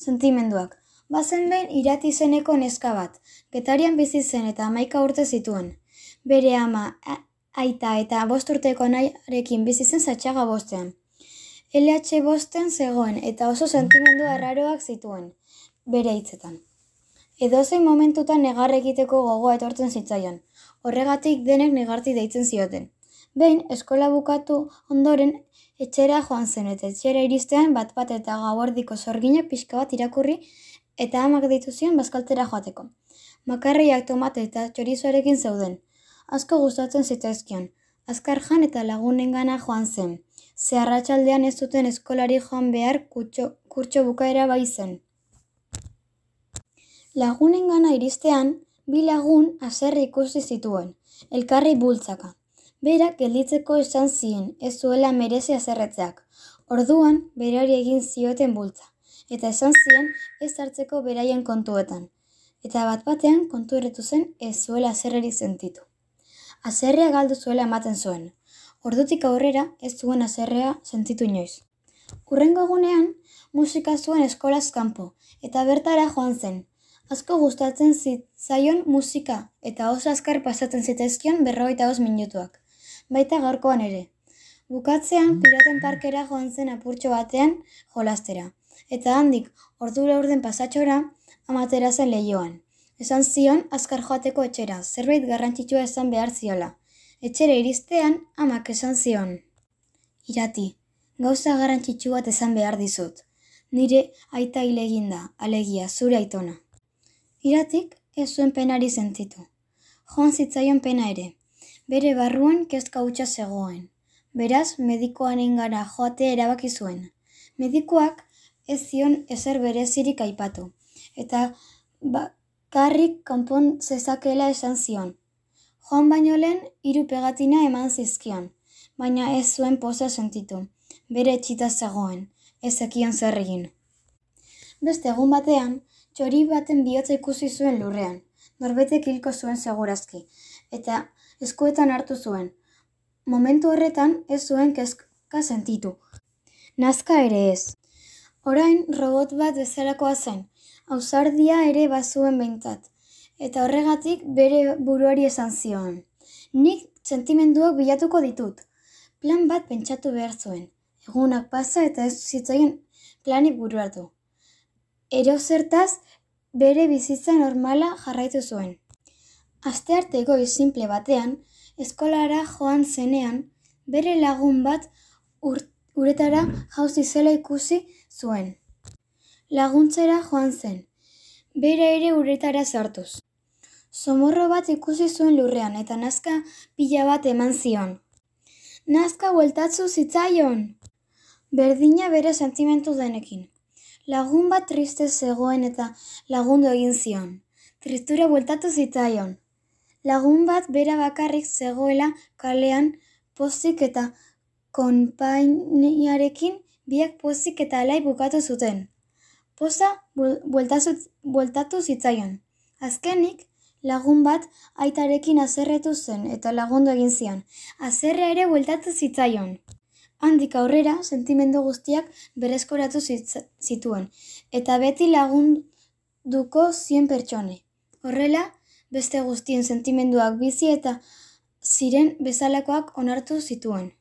Sentimenduak. Bazen behin Irati izeneko neska bat, Getarian bizi zen eta 11 urte zituen. Bere ama, aita eta 5 urteko anarekin bizi zen Zatxaga bostean. LH bosten zegoen eta oso sentimendu arraroak zituen, bere hitzetan. Edozein momentutan negar egiteko gogoa etortzen zitzaion, horregatik denek negarti deitzen zioten. Behin, eskola bukatu ondoren etxera joan zen eta etxera iristean bat eta gauerdiko sorgina pixka bat irakurri eta amak deitu zion bazkaltzera joateko. Makarriak, tomate eta txorizoarekin zeuden. Asko gustatzen zitzaizkion. Azkar jan eta lagunengana joan zen. Ze arratsaldean ez zuten eskolari joan behar kurtso bukaera bai zen. Lagunengana iristean, 2 lagun haserre ikusi zituen, elkarri bultzaka. Berak gelditzeko esan zien, ez zuela merezi haserretzeak. Orduan, berari egin zioten bultza, eta esan zien ez hartzeko beraien kontuetan. Eta bat-batean kontu erretu zen ez zuela haserrerik sentitu. Haserrea galdu zuela ematen zuen. Ordutik aurrera ez zuen haserrea sentitu inoiz. Hurrengo egunean, musika zuen eskolaz kanpo, eta bertara joan zen. Asko gustatzen zitzaion musika, eta oso azkar pasatzen zitzaizkion 45 minutuak. Baita gaurkoan ere. Bukatzean, Piraten parkera joan zen apurtxo batean jolastera. Eta handik, ordu laurden pasatxora, amatera zen lehioan. Esan zion azkar joateko etxera, zerbait garrantzitsua esan behar ziola. Etxera iristean, amak esan zion. Irati, gauza garrantzitsu bat esan behar dizut. Nire aita hil eginda, alegia, zure aitona. Iratik ez zuen penari sentitu. Joan zitzaion pena ere. Bere barruan kezka hutsa zegoen. Beraz, medikoanengana joatea erabaki zuen. Medikuak ez zion ezer berezirik aipatu, eta bakarrik konpon zezakela esan zion. Joan baino lehen 3 pegatina eman zizkion, baina ez zuen poza sentitu. Bere etxita zegoen, ez zekion zer egin. Beste egun batean, txori baten bihotza ikusi zuen lurrean. Norbetek hilko zuen segurazki, eta eskuetan hartu zuen. Momentu horretan ez zuen kezka sentitu. Nazka ere ez. Orain robot bat bezalakoa zen, ausardia ere bazuen behintzat, eta horregatik bere buruari esan zion. Nik sentimenduak bilatuko ditut. Plan bat pentsatu behar zuen. Egunak pasa eta ez zitzaien planik buruatu. Erozertaz bere bizitza normala jarraitu zuen. Astearte goiz sinple batean, eskolara joan zenean, bere lagun bat uretara jauzi zela ikusi zuen. Laguntzera joan zen, bere ere uretara sartuz. Zomorro bat ikusi zuen lurrean eta nazka pila bat eman zion. Nazka bueltatzu zitzaion! Berdina bere sentimentu denekin. Lagun bat triste zegoen eta lagundu egin zion. Tristura bueltatu zitzaion. Lagun bat bera bakarrik zegoela kalean pozik eta konpainiarekin biak pozik eta alai bukatu zuten. Poza bueltatu zitzaion. Azkenik, lagun bat aitarekin haserretu zen eta lagundu egin zion. Haserrea ere bueltatu zitzaion. Handik aurrera, sentimendu guztiak berreskuratu zituen, eta beti lagunduko zien pertsone. Horrela, beste guztien sentimenduak bizi eta ziren bezalakoak onartu zituen.